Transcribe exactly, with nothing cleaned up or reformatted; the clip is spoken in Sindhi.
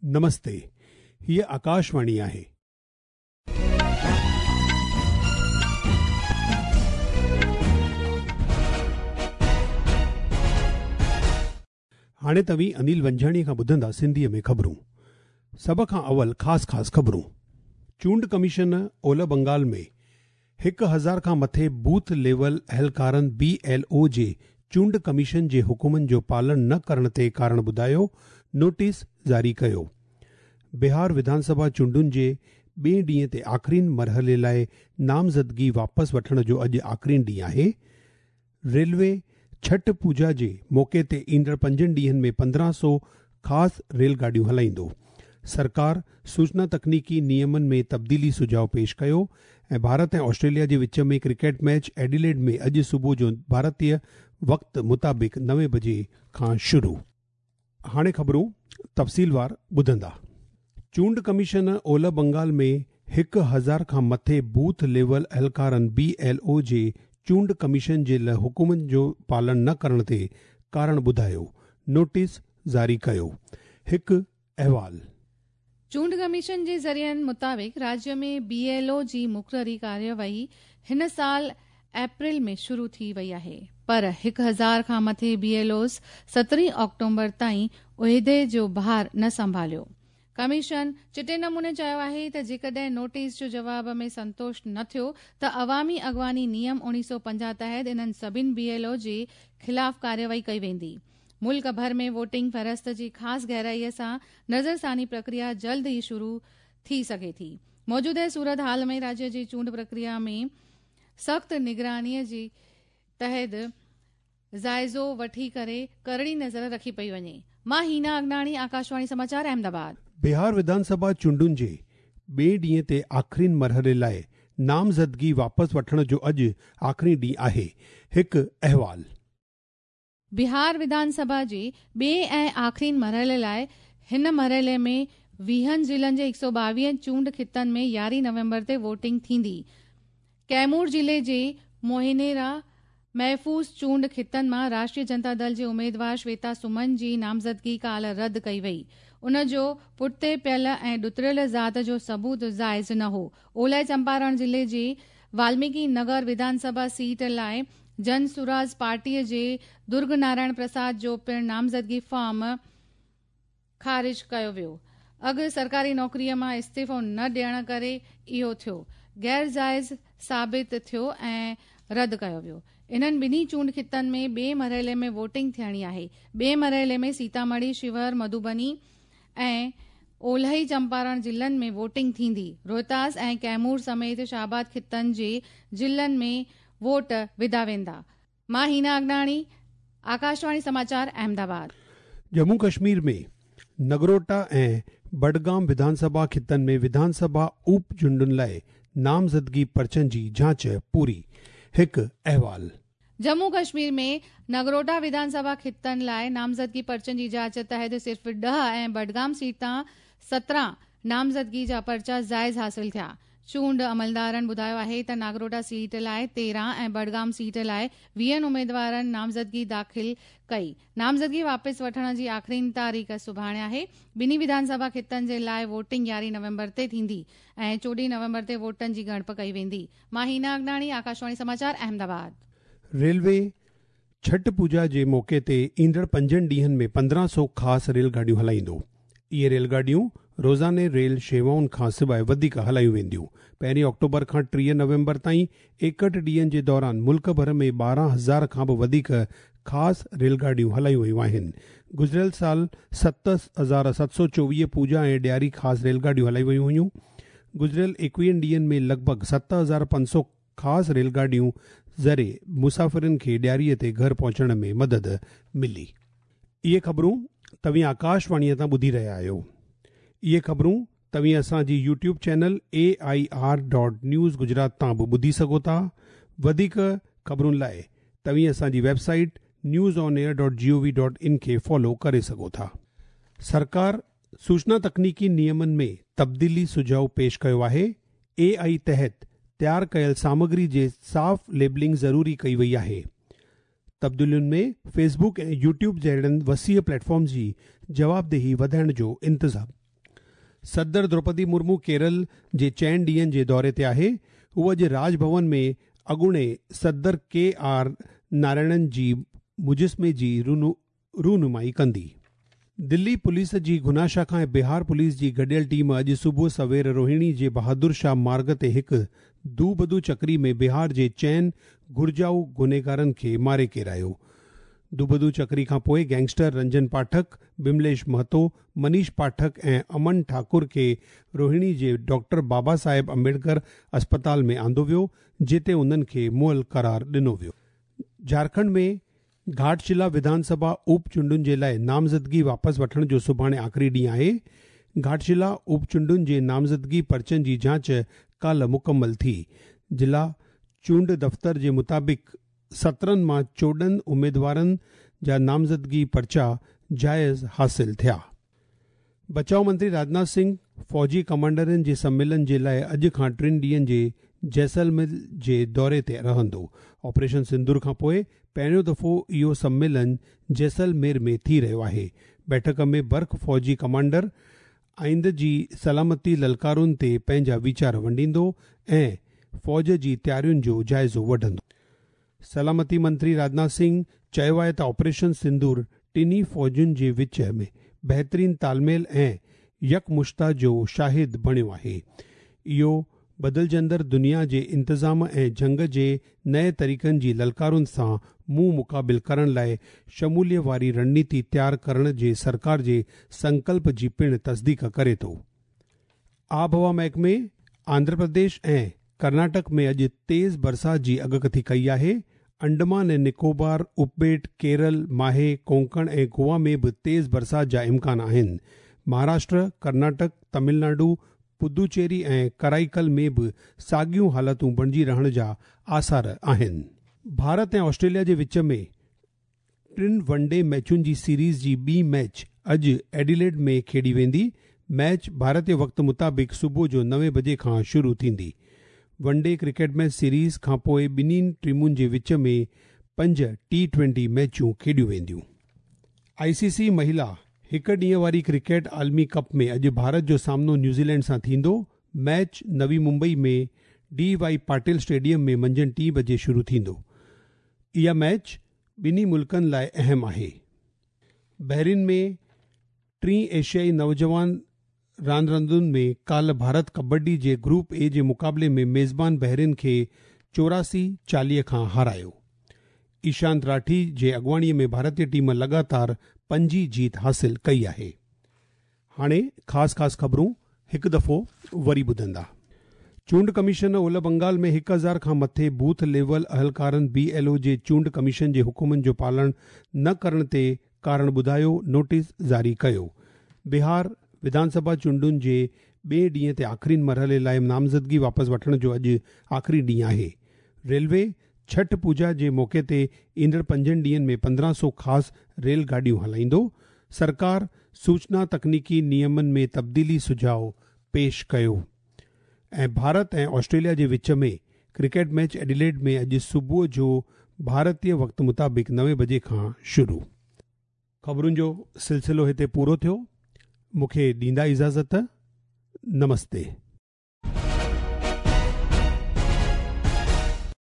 نمستي، هيء آڪاشواڻي آهي. هاڻي توهين انيل ونجهاڻيءَ کان ٻڌندا سنڌيءَ ۾ خبرون. سڀ کان اول خاص خاص خبرون. چونڊ ڪميشن اولهه بنگال ۾ هڪ هزار کان مٿي بوٿ ليول اهلڪارن بي ايل او جي چونڊ ڪميشن جي حڪمن جو پالن نه ڪرڻ تي ڪارڻ ٻڌايو نوٽيس جاري ڪيو. بهار وڌان سڀا چونڊن جي ٻئي ڏينهن تي آخرين مرحلي لاءِ نامزدگي واپس وٺڻ جو اڄ آخرين ڏينهن آهي. ريلوي ڇٺ پوڄا جي موقعي تي ايندڙ پنجن ڏينهن ۾ پندرهن سؤ خاص ريل گاڏيون هلائيندو. سرڪار سوچنا تڪنيڪي نيمن ۾ تبديلي سجهاءُ پيش ڪيو ۽ ڀارت ۽ آسٽريليا جي وچ ۾ ڪرڪيٽ ميچ ايڊيليڊ ۾ اڄ صبح جو ڀارتيه وقت مطابق نوين بجي کان شروع. هاڻي خبرون تفصيلوار ٻڌندا. چونڊ ڪميشن اولهه بنگال ۾ هڪ هزار کان مٿي بوٿ ليول اهلڪارن بي ايل او جي چونڊ ڪميشن جي حڪمن جو پالن نه ڪرڻ تي ڪارڻ ٻڌايو نوٽيس جاري ڪيو. هڪ احوال. چونڊ ڪميشن جي ذريعن مطابق راجيه ۾ بي ايل او جي مقرري ڪارروائي هن سال اپريل ۾ شروع ٿي وئي آهي، پر هڪ هزار کان مٿي بي ايل اوز سترهين آڪٽوبر تائين عهدي جو ڀار نه سنڀاليو. ڪميشن چٽي نموني چيو آهي ته جيڪڏهن نوٽيس جو جواب ۾ سنتوش نه ٿيو ته عوامي اڳواڻي نيم اڻويهه سؤ پنجاهه تحت انهن سڀني بي ايل او جي خلاف ڪارروائي ڪئي ويندي. ملڪ ڀر ۾ ووٽنگ فهرست جي خاص گهرائيءَ سان نظرثاني پرڪريا جلد ئي شروع ٿي سگهي ٿي. موجوده صورت حال ۾ راجيه جي چونڊ پرڪريا ۾ سخت نگرانيءَ جي تحت جائزو وٺي ڪري ڪرڙي نظر رکي پئي وڃي. مان هينا اگناڻي، آڪاشواڻي سماچار، احمدآباد. بهار وڌان سڀا چونڊن جي ٻئي ڏينهن تي آخرين مرحلي لاءِ نامزدگي واپس وٺڻ جو اڄ آخرين ڏينهن آهي. هڪ احوال. بهار وڌان سڀا جي ٻئي ۽ آخرين مرحلي لاءِ هن مرحلي ۾ ويهن ضلعن جي هڪ سؤ ٻاويهه چونڊ خطن ۾ يارهين نومبر تي ووٽنگ ٿيندي. ڪيمور ضلعي جي موهنيرا محفوظ چونڊ خطن مان راشٽريه جنتا دل جي اميدوار شويتا سمن جي نامزدگي ڪالهه رد ڪئي وئي. ان جو پٺتي پيل ۽ ڏتڙيل ذات جو ثبوت جائز نه هو. اولهه چمپارڻ ضلعي جي والميڪي نگر وڌان سڀا سيٽ لاءِ جن سوراج پارٽيءَ جي درگ نارائڻ پرساد جو پڻ نامزدگي فارم خارج ڪيو ويو. اڳ سرڪاري نوڪريءَ مان استعيفو نه ڏيڻ ڪري اهو ٿيو غير جائز ثابت ٿيو ۽ رد ڪيو ويو. انهن ٻنهي چونڊ خطن ۾ ٻئي مرحلي ۾ ووٽنگ ٿيڻي آهي. ٻئي مرحلي ۾ سيتامڙي، شيوهر، مڌوبني ۽ اولهي چمپارڻ ضلعن ۾ ووٽنگ ٿيندي. روهتاس ۽ ڪيمور سميت شاهآباد خطن جي ضلعن ۾ ووٽ وڌا ويندا. مان هينا اگناڻي، آڪاشواڻي سماچار، احمدآباد. ڄمون ڪشمير ۾ نگروٽا ۽ بڊگام وڌان سڀا خطن ۾ وڌان سڀا اپ چونڊن لاءِ نامزدگي پرچن جي جاچ پوري. هڪ احوال. ڄمون ڪشمير ۾ نگروٽا وڌان سڀا خطن لاءِ نامزدگي پرچن جي جاچ تحت صرف ڏهه ۽ بڊگام سيٽ تان سترهن نامزدگي جا پرچا جائز حاصل ٿيا. چونڊ عملدارن ٻڌايو آهي ته ناگروٽا سيٽ لاءِ تيرهن ۽ بڊگام سيٽ لاءِ ويهن اميدوارن نامزدگي داخل ڪئي. نامزدگي واپس وٺڻ جي آخرين تاريخ سڀاڻي آهي. ٻنهي وڌان سڀا خطن جي لاءِ ووٽنگ يارهين نومبر تي ٿيندي ۽ چوڏهين نومبر تي ووٽن جي ڳڻپ ڪئي ويندي. مان هينا اگناڻي، آڪاشواڻي سماچار، احمدآباد. ريلوي ڇٺ پوڄا جي موقعي تي ايندڙ پنجن ڏينهن ۾ پندرهن سؤ خاص ريل گاڏيون هلائيندو. اهي ريل گاڏيون روزاني ريل شيوائن کان سواءِ وڌيڪ هلايون وينديون. پهرين آڪٽوبر کان ٽيهه نومبر تائين ايڪهٺ ڏينهن جي دوران ملڪ ڀر ۾ ٻارهن هزار کان به وڌيڪ خاص ريل گاڏيون هلايون ويون آهن. گذريل سال ست هزار ست سؤ چوويهه پوڄا ۽ ڏياري خاص ريل گاڏيون هلايون ويون هيون. گذريل ايڪويهن ڏينهن ۾ لڳ ڀڳ ست هزار پنج سؤ خاص ريل گاڏيون ذريعي مسافرن کي ڏياريءَ تي گهر پهچڻ ۾ مدد ملي. اهي خبرون توهين آڪاشواڻيءَ تان ٻڌي رهيا آهيو. اهي خبرون توهين اسان جي YouTube channel A I R dot news Gujarat تان به ٻڌي سگهو ٿا. وڌيڪ خبرن لاءِ توهين اسان جي website news on air dot G O V dot in کي فالو ڪري سگهو ٿا. سرڪار سوچنا تڪنيڪي نيمن ۾ تبديلي سجهاءُ پيش ڪيو آهي. اي آئي تحت تيار ڪيل سامگري جي صاف ليبلنگ ضروري ڪئي وئي آهي. تبديلين ۾ فيس بڪ ۽ يوٽيوب جهڙن وسيع پليٽ فارم جي جوابدهي وڌائڻ جو انتظام صدر دروپدي مرمو ڪيرل جي چئن ڏينهن جي دوري تي آهي. هوءَ اڄ راج ڀون ۾ اڳوڻي صدر ڪي آر نارائڻن جي مجسمي جي رونمائي ڪندي. دلي پوليس جي گنا شاخا ۽ بهار پوليس جي گڏيل ٽيم اڄ صبح سوير روهڻي جي بهادر شاهه مارگ تي هڪ دوبدو چڪري ۾ بهار جي چئن گهرجائو گنهگارن کي ماري ڪيرايو. دوبدو چڪري کان پوءِ گينگسٽر رنجن پاٺڪ، بمليش مهتو، منيش پاٺڪ ۽ امن ٺاڪر کي روهڻي جي ڊاڪٽر بابا صاحب امبيڊڪر اسپتال ۾ آندو ويو، جتي انهن کي مئل قرار ڏنو ويو. جهارکنڊ ۾ گهاٽشلا وڌانسڀا اپ چونڊن جي لاءِ نامزدگي واپس وٺڻ جو سڀاڻي آخري ڏينهن آهي. گهاٽشلا اپ چونڊن جي نامزدگي پرچن جي جاچ ڪالهه مڪمل ٿي. ضلع چونڊ دفتر جي مطابق سترهن مان چوڏهن اميدوارن جا نامزدگي پرچا جائز حاصل ٿيا. بچاءُ منتري راجناٿ سنگهه فوجي ڪمانڊرن جي سميلن جي لاءِ اڄ کان ٽن ڏينهن جي جيسلمير جي دوري تي رهندو. آپريشن سندور کان پوءِ پهريون دفعو اهو سميلن جيسلمير ۾ ٿي رهيو آهي. بيٺڪ ۾ برک فوجي ڪمانڊر آئيند جي سلامتي للڪارن تي پنهنجا ويچار ونڊيندو ۽ فوج جي تيارين جو جائزو وٺندو. سلامتي منتري راجناٿ سنگهه چيو آهي ته آپريشن سندور ٽنهي فوجن جي وچ ۾ بهترين تالميل ۽ يڪمشتا جو شاهد بڻيو آهي. اهو بدلجندڙ دنيا جي انتظام ۽ جنگ جي نئين طريقن جي للڪارن سان منهن مقابل ڪرڻ لاءِ شموليت واري رڻنيتي تيار ڪرڻ جي سرڪار جي سنڪلپ جي پڻ تصديق ڪري ٿو. آبهوا محڪمي آنڌرا پرديش ۽ ڪرناٽڪ ۾ اڄ تيز برسات جي اڳڪٿي ڪئي آهي. انڊمان ۽ نڪوبار اپٻيٽ، ڪيرل، ماهي، ڪونڪڻ ۽ گوا ۾ به تيز برسات جا امڪان آهن. مهاراشٽر، ڪرناٽڪ، تامل ناڊو، پدوچيري ۽ ڪرائيڪل ۾ به ساڳيون حالتون بڻجي رهڻ جا آثار آهن. ڀارت ۽ آسٽريليا جي وچ ۾ ٽن ون ڊي ميچن جي سيريز جي ٻي ميچ اڄ ايڊيليڊ ۾ کيڏي ويندي. ميچ ڀارتيه وقت مطابق صبح جو نوين بجي کان شروع ٿيندي. One day cricket match series کان پوءِ ٻنهي ٽيمن جي وچ ۾ پنج ٽي ٽوئنٽي ميچون کيڏيون وينديون. آئي سي سي مهلا هڪ ڏينهن واري ڪرڪيٽ عالمي ڪپ ۾ اڄ ڀارت جو سامنو نيوزيلينڊ سان ٿيندو. Match Navi Mumbai ۾ D Y Patil stadium ۾ منجهند ٽين بجي شروع ٿيندو. اها ميچ ٻنهي ملڪن لاءِ اهم آهي. بحرين ۾ ٽين ايشيائي نوجوان راند راندن ۾ ڪالهه ڀارت ڪبڊي جي گروپ اي جي مقابلي ۾ ميزبان بحرين کي چوراسي چاليهه کان هارايو. ايشانت راٺي جي اڳواڻيءَ ۾ ڀارتيه ٽيم لڳاتار پنجين جيت حاصل ڪئي آهي. هاڻي خاص خاص خبرون هڪ دفعو وري ٻڌندا. چونڊ ڪميشن اولهه بنگال ۾ هڪ هزار کان مٿي بوٿ ليول اهلڪارن بي ايل او جي چونڊ ڪميشن جي حڪمن جو پالڻ نه ڪرڻ تي ڪارڻ ٻڌايو نوٽيس جاري ڪيو. بهار وڌانسڀا چونڊن جي ٻئي ڏينهن تي آخرين مرحلي لاءِ نامزدگي واپس وٺڻ جو اڄ آخري ڏينهن آهي. ريلوي ڇٺ پوڄا جي موقعي تي ايندڙ پنجن ڏينهن ۾ پندرهن سؤ خاص ريل گاڏيون هلائيندو. سرڪار سوچنا تڪنيڪي نيمن ۾ تبديلي سجهاءُ پيش ڪيو. ۽ ڀارت ۽ آسٽريليا جي وچ ۾ ڪرڪيٽ ميچ ايڊيليڊ ۾ اڄ صبح جو ڀارتيه وقت مطابق نوين بجي کان شروع. خبرن جو سلسلو هتي پورو ٿيو. مون کي ڏيندا اجازت. نمستي.